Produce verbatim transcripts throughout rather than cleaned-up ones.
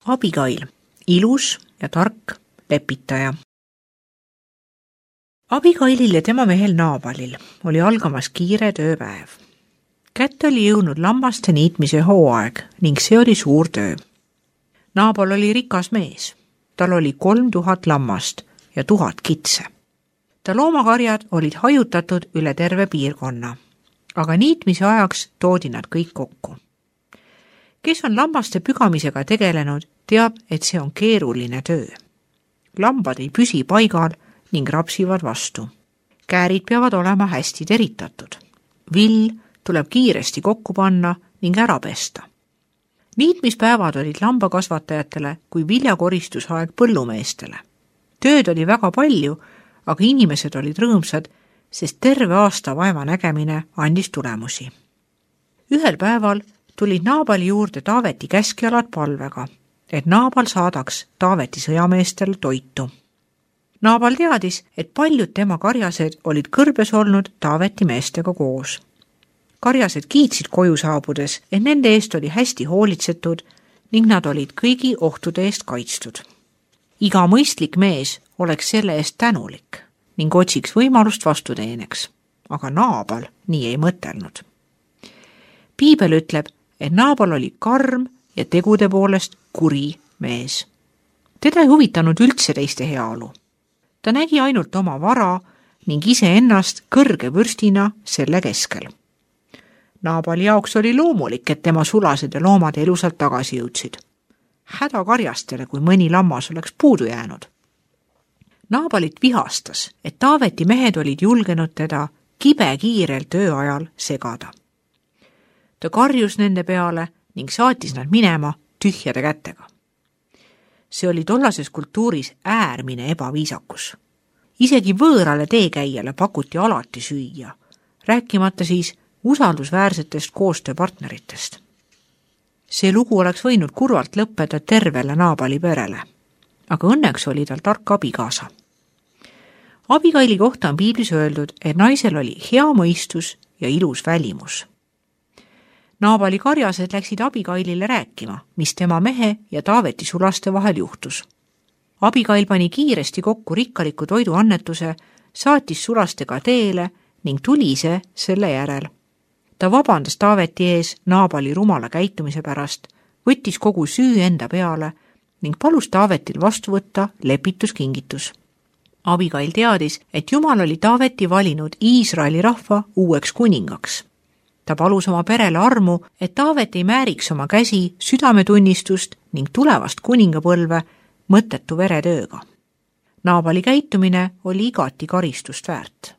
Abigail, ilus ja tark lepitaja. Abigailil ja tema mehel Naabalil oli algamas kiire tööpäev. Kätte oli jõudnud lammaste niitmise hooaeg ning see oli suur töö. Naabal oli rikas mees. Tal oli kolm tuhat lammast ja tuhat kitse. Ta loomakarjad olid hajutatud üle terve piirkonna, aga niitmise ajaks toodi nad kõik kokku. Kes on lammaste pügamisega tegelenud, teab, et see on keeruline töö. Lambad ei püsi paigal ning rapsivad vastu. Käärid peavad olema hästi teritatud. Vill tuleb kiiresti kokku panna ning ära pesta. Niitmispäevad olid lambakasvatajatele kui viljakoristusaeg põllumeestele. Tööd oli väga palju, aga inimesed olid rõõmsad, sest terve aasta vaeva nägemine andis tulemusi. Ühel päeval tulid Naabali juurde Taaveti käskjalad palvega, et Naabal saadaks Taaveti sõjameestel toitu. Naabal teadis, et paljud tema karjased olid kõrbes olnud Taaveti meestega koos. Karjased kiitsid koju saabudes, et nende eest oli hästi hoolitsetud ning nad olid kõigi ohtude eest kaitstud. Iga mõistlik mees oleks selle eest tänulik ning otsiks võimalust vastuteeneks, aga Naabal nii ei mõtelnud. Piibel ütleb, et Naabal oli karm ja tegude poolest kuri mees. Teda ei huvitanud üldse teiste heaolu. Ta nägi ainult oma vara ning iseennast kõrge võrstina selle keskel. Naabali jaoks oli loomulik, et tema sulased ja loomad elusalt tagasi jõudsid. Häda karjastele, kui mõni lammas oleks puudu jäänud. Naabalit vihastas, et Taaveti mehed olid julgenud teda kibe kiirel tööajal segada. Ta karjus nende peale ning saatis nad minema tühjade kätega. See oli tollases kultuuris äärmine ebaviisakus. Isegi võõrale teekäijale pakuti alati süüa, rääkimata siis usaldusväärsetest koostööpartneritest. See lugu oleks võinud kurvalt lõppeda tervele Naabali perele, aga õnneks oli tal tark abikaasa. Abigaili kohta on piiblis öeldud, et naisel oli hea mõistus ja ilus välimus. Naabali karjased läksid Abigailile rääkima, mis tema mehe ja Taaveti sulaste vahel juhtus. Abigail pani kiiresti kokku rikkaliku toiduannetuse, saatis sulastega teele ning tuli see selle järel. Ta vabandas Taaveti ees Naabali rumala käitumise pärast, võttis kogu süü enda peale ning palus Taavetil vastu võtta lepituskingitus. Abigail teadis, et Jumal oli Taaveti valinud Iisraeli rahva uueks kuningaks. Ta palus oma perele armu, et Taavet ei määriks oma käsi südametunnistust ning tulevast kuningapõlve mõttetu veretööga. Naabali käitumine oli igati karistust väärt.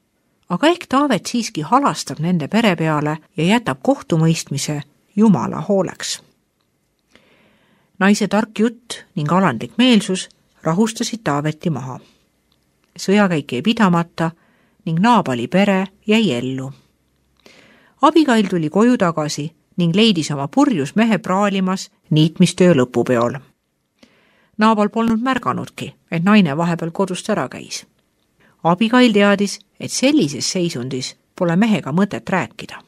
Aga ehk Taavet siiski halastab nende pere peale ja jätab kohtumõistmise Jumala hooleks. Naise tark jutt ning alandlik meelsus rahustasid Taaveti maha. Sõjakäik jäi pidamata ning Naabali pere jäi ellu. Abigail tuli koju tagasi ning leidis oma purjus mehe praalimas niitmistöö lõpupeol. Naabal polnud märganudki, et naine vahepeal kodust ära käis. Abigail teadis, et sellises seisundis pole mehega mõtet rääkida.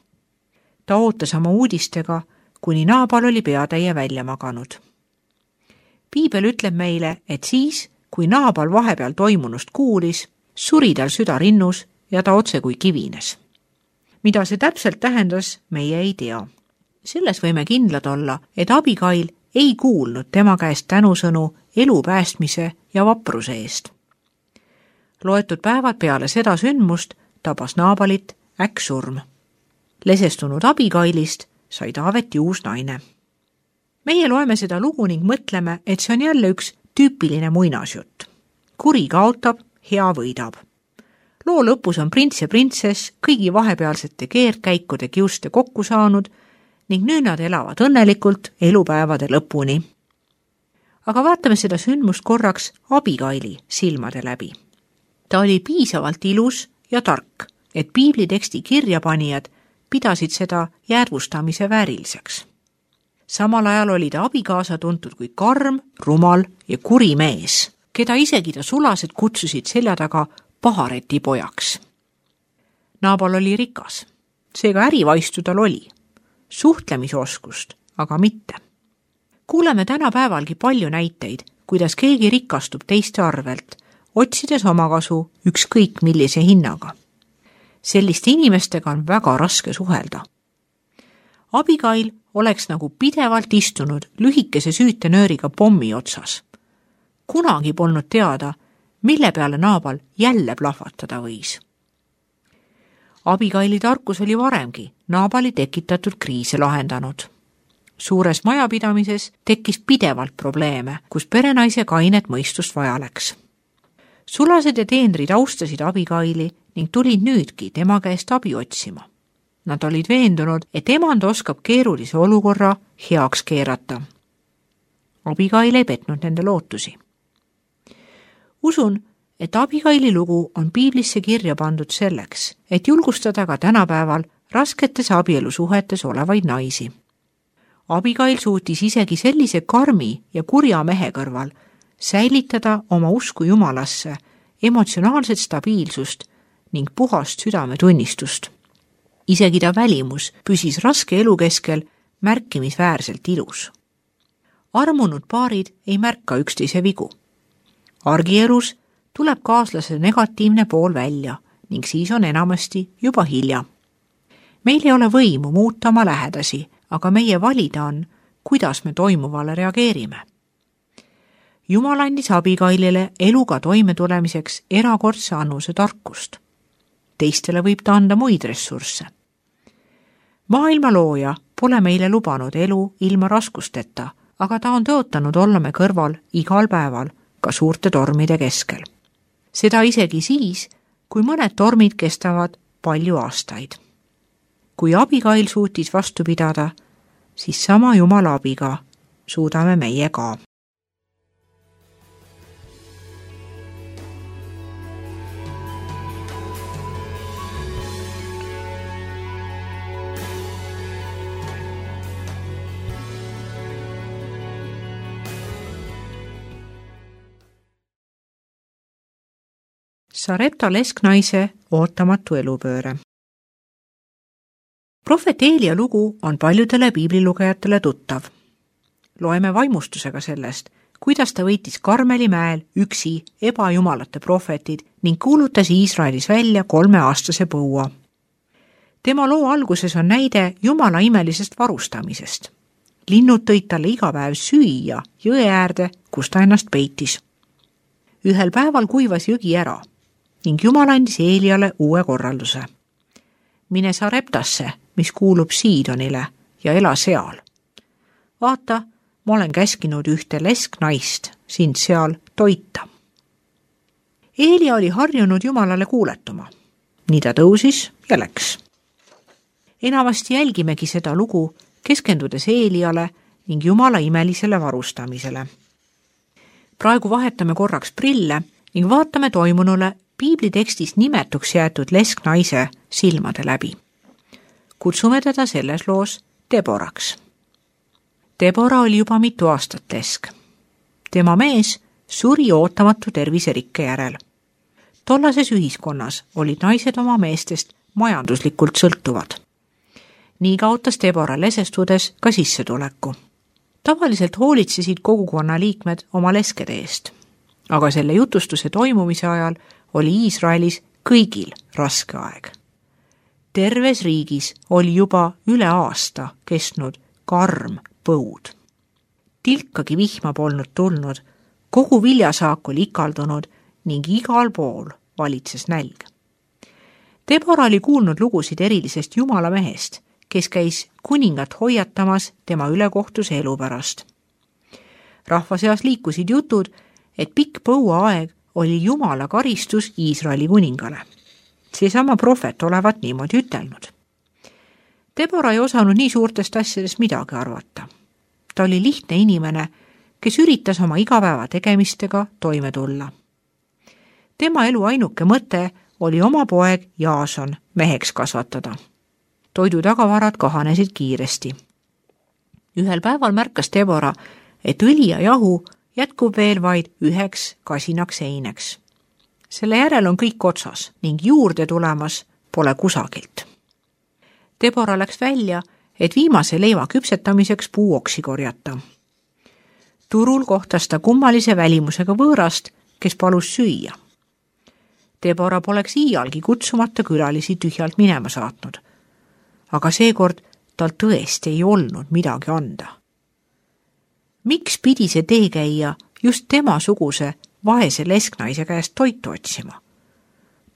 Ta ootas oma uudistega, kuni Naabal oli peatäie välja maganud. Piibel ütleb meile, et siis, kui Naabal vahepeal toimunust kuulis, suri tal süda rinnus ja ta otse kui kivines. Mida see täpselt tähendas, meie ei tea. Selles võime kindlad olla, et Abigail ei kuulnud tema käest tänusõnu elu päästmise ja vapruse eest. Loetud päevad peale seda sündmust tabas Naabalit äkksurm. Lesestunud Abigailist sai Taaveti uus naine. Meie loeme seda lugu ning mõtleme, et see on jälle üks tüüpiline muinasjutt. Kuri kaotab, hea võidab. Loo lõpus on prints ja printsess kõigi vahepealsete keerdkäikude kiuste kokku saanud ning nüüd nad elavad õnnelikult elupäevade lõpuni. Aga vaatame seda sündmust korraks Abigaili silmade läbi. Ta oli piisavalt ilus ja tark, et piibliteksti kirjapanijad pidasid seda jäädvustamise vääriliseks. Samal ajal oli ta abikaasa tuntud kui karm, rumal ja kuri mees, keda isegi ta sulased kutsusid selja taga pahareti pojaks. Naabal oli rikas, seega ärivaistu tal oli, suhtlemisoskust aga mitte. Kuuleme tänapäevalgi palju näiteid, kuidas keegi rikastub teiste arvelt, otsides omakasu ükskõik millise hinnaga. Selliste inimestega on väga raske suhelda. Abigail oleks nagu pidevalt istunud lühikese süütenööriga pommi otsas. Kunagi polnud teada, mille peale Naabal jälle plahvatada võis. Abigaili tarkus oli varemgi Naabali tekitatud kriise lahendanud. Suures majapidamises tekkis pidevalt probleeme, kus perenaise kainet mõistust vaja läks. Sulased ja teenrid austasid Abigaili ning tulid nüüdki tema käest abi otsima. Nad olid veendunud, et emand oskab keerulise olukorra heaks keerata. Abigail ei petnud nende lootusi. Usun, et Abigaili lugu on piiblisse kirja pandud selleks, et julgustada ka tänapäeval rasketes abielusuhetes olevaid naisi. Abigail suutis isegi sellise karmi ja kurja mehe kõrval säilitada oma usku Jumalasse, emotsionaalset stabiilsust ning puhast südametunnistust. Isegi ta välimus püsis raske elu keskel märkimisväärselt ilus. Armunud paarid ei märka üksteise vigu. Argielus tuleb kaaslase negatiivne pool välja ning siis on enamasti juba hilja. Meil ei ole võimu muuta oma lähedasi, aga meie valida on, kuidas me toimuvale reageerime. Jumal andis Abigailile eluga toimetulemiseks erakordse annuse tarkust. Teistele võib ta anda muid ressursse. Maailma looja pole meile lubanud elu ilma raskusteta, aga ta on tõotanud olla me kõrval igal päeval, ka suurte tormide keskel. Seda isegi siis, kui mõned tormid kestavad palju aastaid. Kui Abigail suutis vastu pidada, siis sama Jumala abiga suudame meie ka. Sarepta lesknaise ootamatu elupööre. Prohvet Eelia lugu on paljudele piiblilugejatele tuttav. Loeme vaimustusega sellest, kuidas ta võitis Karmeli mäel üksi ebajumalate prohvetid ning kuulutas Iisraelis välja kolmeaastase põua. Tema loo alguses on näide Jumala imelisest varustamisest. Linnud tõid talle iga päev süüa jõe äärde, kus ta ennast peitis. Ühel päeval kuivas jõgi ära ning Jumal andis Eeliale uue korralduse. Mine Sareptasse, mis kuulub Siidonile, ja ela seal. Vaata, ma olen käskinud ühte lesknaist sind seal toita. Eelia oli harjunud Jumalale kuuletuma. Nii ta tõusis ja läks. Enamasti jälgimegi seda lugu, keskendudes Eeliale ning Jumala imelisele varustamisele. Praegu vahetame korraks prille ning vaatame toimunule piiblitekstis nimetuks jäetud lesknaise silmade läbi. Kutsume teda selles loos Deboraks. Debora oli juba mitu aastat lesk. Tema mees suri ootamatu terviserikke järel. Tollases ühiskonnas olid naised oma meestest majanduslikult sõltuvad. Nii kaotas Debora lesestudes ka sissetuleku. Tavaliselt hoolitsesid kogukonna liikmed oma leskede eest, aga selle jutustuse toimumise ajal oli Iisraelis kõigil raske aeg. Terves riigis oli juba üle aasta kestnud karm põud. Tilkagi vihma polnud tulnud, kogu viljasaak oli ikaldunud ning igal pool valitses nälg. Debora oli kuulnud lugusid erilisest Jumala mehest, kes käis kuningat hoiatamas tema ülekohtuse elu pärast. Rahva seas liikusid jutud, et pikk põuaaeg oli Jumala karistus Iisraeli kuningale. Seesama prohvet olevat niimoodi ütelnud. Debora ei osanud nii suurtest asjadest midagi arvata. Ta oli lihtne inimene, kes üritas oma igapäeva tegemistega toime tulla. Tema elu ainuke mõte oli oma poeg Jaason meheks kasvatada. Toidu tagavarad kahanesid kiiresti. Ühel päeval märkas Debora, et õli ja jahu jätkub veel vaid üheks kasinaks eineks. Selle järel on kõik otsas ning juurde tulemas pole kusagilt. Debora läks välja, et viimase leiva küpsetamiseks puuoksi korjata. turul kohtas ta kummalise välimusega võõrast, kes palus süüa. Debora poleks iialgi kutsumata külalisi tühjalt minema saatnud, aga seekord tal tõesti ei olnud midagi anda. Miks pidi see teekäija just temasuguse vaese lesknaise käest toitu otsima?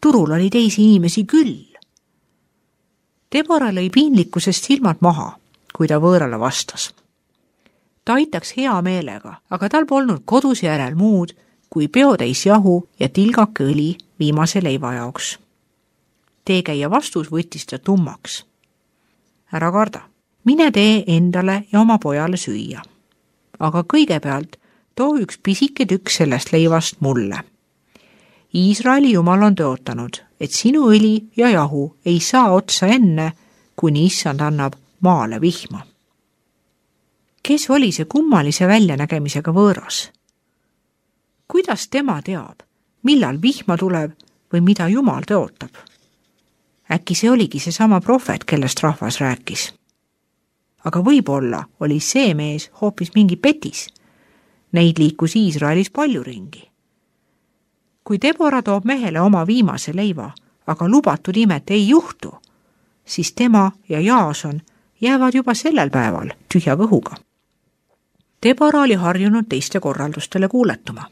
Turul oli teisi inimesi küll. Debora lõi piinlikkusest silmad maha, kui ta võõrale vastas. Ta aitaks hea meelega, aga tal polnud kodus järel muud kui peotäis jahu ja tilgake õli viimase leiva jaoks. Teekäija vastus võttis ta tummaks. Ära karda, mine tee endale ja oma pojale süüa. Aga kõigepealt too üks pisike tükk sellest leivast mulle. Iisraeli Jumal on tõotanud, et sinu õli ja jahu ei saa otsa enne, kuni issand annab maale vihma. Kes oli see kummalise väljanägemisega võõras? Kuidas tema teab, millal vihma tuleb või mida Jumal tõotab? Äkki see oligi see sama prohvet, kellest rahvas rääkis. Aga võib-olla oli see mees hoopis mingi petis. Neid liikus Iisraelis palju ringi. Kui Debora toob mehele oma viimase leiva, aga lubatud imet ei juhtu, siis tema ja Jaason jäävad juba sellel päeval tühja kõhuga. Debora oli harjunud teiste korraldustele kuuletuma.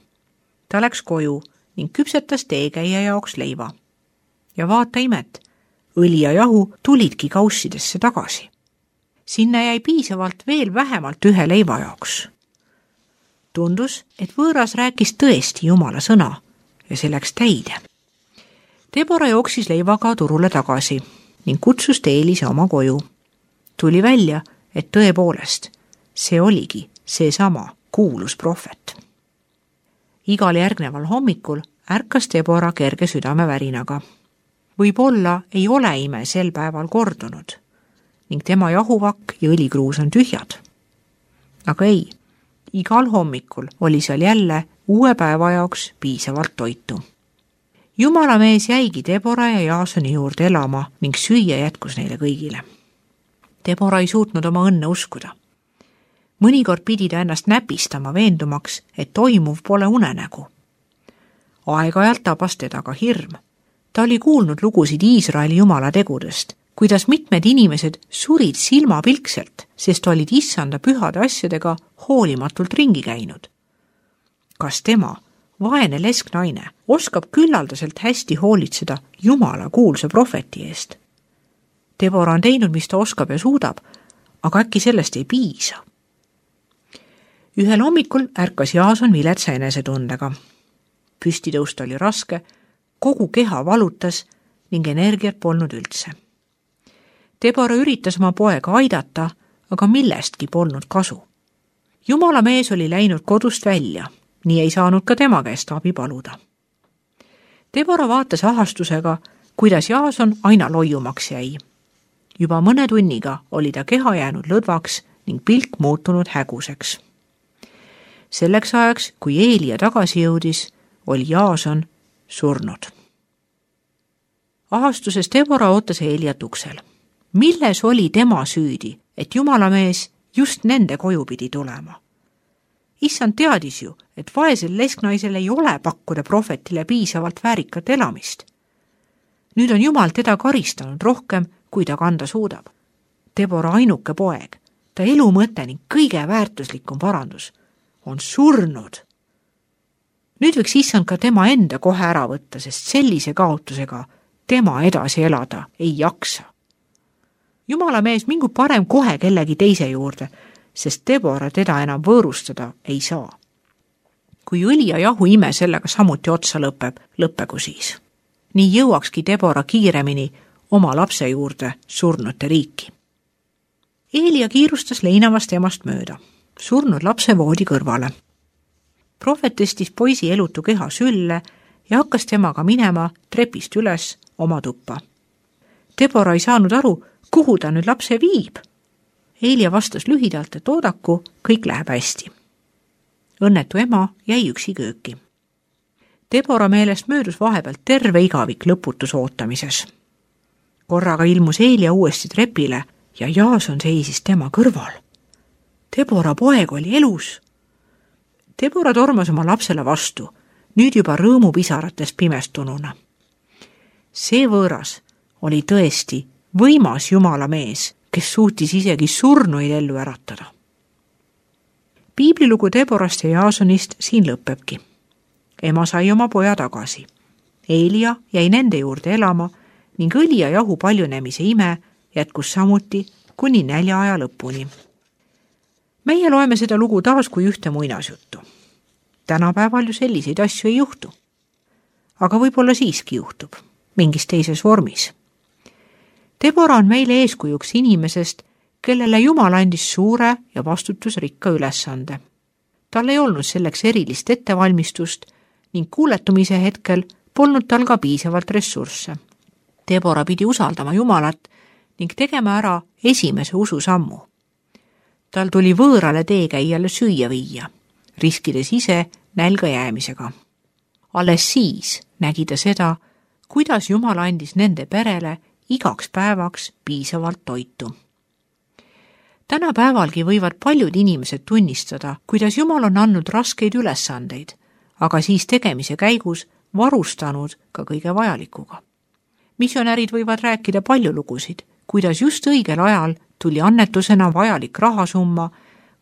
Ta läks koju ning küpsetas teekäija jaoks leiva. Ja vaata imet, õli ja jahu tulidki kaussidesse tagasi. Sinna jäi piisavalt veel vähemalt ühe leiva jaoks. Tundus, et võõras rääkis tõesti Jumala sõna ja see läks täide. Debora jooksis leivaga turule tagasi ning kutsus Eelise oma koju. Tuli välja, et tõepoolest, see oligi seesama kuulus prohvet. Igal järgneval hommikul ärkas Debora kerge südamevärinaga. Võib-olla ei ole ime sel päeval kordunud ning tema jahuvakk ja õlikruus on tühjad. Aga ei, igal hommikul oli seal jälle uue päeva jaoks piisavalt toitu. Jumala mees jäigi Debora ja Jaasoni juurde elama ning süüa jätkus neile kõigile. Debora ei suutnud oma õnne uskuda. Mõnikord pidi ta ennast näpistama veendumaks, et toimuv pole unenägu. Aeg-ajalt tabas teda ka hirm. Ta oli kuulnud lugusid Iisraeli Jumala tegudest, kuidas mitmed inimesed surid silmapilkselt, sest olid issanda pühade asjadega hoolimatult ringi käinud. Kas tema, vaene lesknaine, oskab küllaldaselt hästi hoolitseda Jumala kuulsa prohveti eest? Debora on teinud, mis ta oskab ja suudab, aga äkki sellest ei piisa. Ühel hommikul ärkas Jaason viletsa enesetundega. Püstitõust oli raske, kogu keha valutas ning energiat polnud üldse. Debora üritas oma poega aidata, aga millestki polnud kasu. Jumala mees oli läinud kodust välja, nii ei saanud ka tema käest abi paluda. Debora vaatas ahastusega, kuidas Jaason aina loiumaks jäi. Juba mõne tunniga oli ta keha jäänud lõdvaks ning pilk muutunud häguseks. Selleks ajaks, kui Eelia tagasi jõudis, oli Jaason surnud. Ahastuses Debora ootas Eeliat uksel. Milles oli tema süüdi, et Jumala mees just nende koju pidi tulema? Issand teadis ju, et vaesel lesknaisel ei ole pakkuda prohvetile piisavalt väärikat elamist. Nüüd on Jumal teda karistanud rohkem, kui ta kanda suudab. Debora ainuke poeg, ta elu mõte ning kõige väärtuslikum parandus, on surnud. Nüüd võiks issand ka tema enda kohe ära võtta, sest sellise kaotusega tema edasi elada ei jaksa. Jumala mees mingu parem kohe kellegi teise juurde, sest Debora teda enam võõrustada ei saa. Kui õli ja jahu ime sellega samuti otsa lõpeb, lõppegu siis. Nii jõuakski Debora kiiremini oma lapse juurde surnute riiki. Eelia kiirustas leinavast emast mööda, surnud lapse voodi kõrvale. Prohvet tõstis poisi elutu keha sülle ja hakkas temaga minema trepist üles oma tuppa. Debora ei saanud aru, kuhu ta nüüd lapse viib. Eelia vastas lühidalt, et oodaku, kõik läheb hästi. Õnnetu ema jäi üksi kööki. Debora meelest möödus vahepealt terve igavik lõputus ootamises. Korraga ilmus Eelia uuesti trepile ja Jaason seisis tema kõrval. Debora poeg oli elus. Debora tormas oma lapsele vastu, nüüd juba rõõmupisarates pimestununa. See võõras oli tõesti võimas Jumala mees, kes suutis isegi surnuid ellu äratada. Piiblilugu Deborast ja Jaasonist siin lõpebki. Ema sai oma poja tagasi. Eelia jäi nende juurde elama ning õli ja jahu paljunemise ime jätkus samuti kuni näljaaja lõpuni. Meie loeme seda lugu taas kui ühte muinasjuttu. Tänapäeval ju selliseid asju ei juhtu. Aga võib-olla siiski juhtub, mingis teises vormis. Debora on meile eeskujuks inimesest, kellele Jumal andis suure ja vastutusrikka ülesande. Tal ei olnud selleks erilist ettevalmistust ning kuuletumise hetkel polnud tal ka piisavalt ressursse. Debora pidi usaldama Jumalat ning tegema ära esimese ususammu. Tal tuli võõrale teekäijale süüa viia, riskides ise nälga jäämisega. Alles siis nägi ta seda, kuidas Jumal andis nende perele igaks päevaks piisavalt toitu. Tänapäevalgi võivad paljud inimesed tunnistada, kuidas Jumal on andnud raskeid ülesandeid, aga siis tegemise käigus varustanud ka kõige vajalikuga. Missionärid võivad rääkida palju lugusid, kuidas just õigel ajal tuli annetusena vajalik rahasumma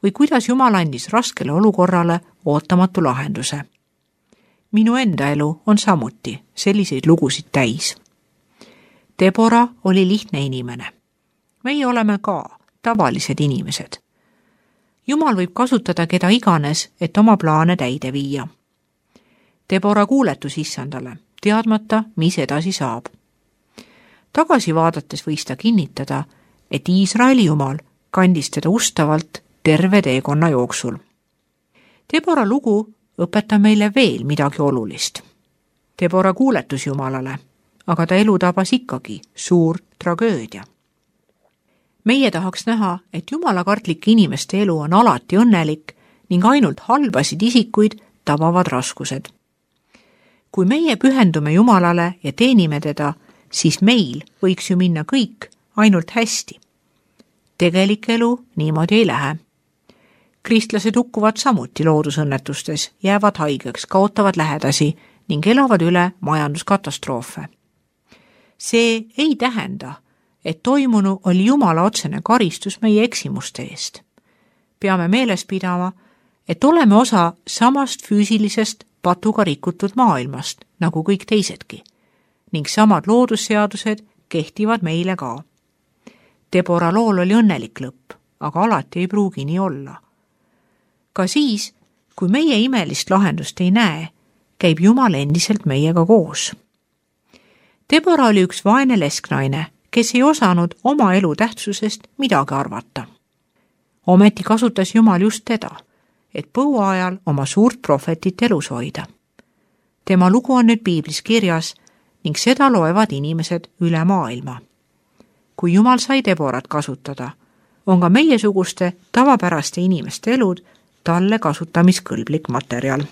või kuidas Jumal andis raskele olukorrale ootamatu lahenduse. Minu enda elu on samuti selliseid lugusid täis. Debora oli lihtne inimene. Meie oleme ka tavalised inimesed. Jumal võib kasutada keda iganes, et oma plaane täide viia. Debora kuuletus issandale, teadmata, mis edasi saab. Tagasi vaadates võis ta kinnitada, et Iisraeli Jumal kandis teda ustavalt terve teekonna jooksul. Debora lugu õpetab meile veel midagi olulist. Debora kuuletus Jumalale, aga ta elu tabas ikkagi suur tragöödia. Meie tahaks näha, et jumalakartlike inimeste elu on alati õnnelik ning ainult halbasid isikuid tabavad raskused. Kui meie pühendume Jumalale ja teenime teda, siis meil võiks ju minna kõik ainult hästi. Tegelik elu niimoodi ei lähe. Kristlased hukkuvad samuti loodusõnnetustes, jäävad haigeks, kaotavad lähedasi ning elavad üle majanduskatastroofe. See ei tähenda, et toimunu oli Jumala otsene karistus meie eksimuste eest. Peame meeles pidama, et oleme osa samast füüsilisest patuga rikutud maailmast, nagu kõik teisedki, ning samad loodusseadused kehtivad meile ka. Debora lool oli õnnelik lõpp, aga alati ei pruugi nii olla. Ka siis, kui meie imelist lahendust ei näe, käib Jumal endiselt meiega koos. Debora oli üks vaene lesknaine, kes ei osanud oma elu tähtsusest midagi arvata. Ometi kasutas Jumal just teda, et põua ajal oma suurt prohvetit elus hoida. Tema lugu on nüüd piiblis kirjas ning seda loevad inimesed üle maailma. Kui Jumal sai Deborat kasutada, on ka meiesuguste tavapäraste inimeste elud talle kasutamiskõlblik materjal.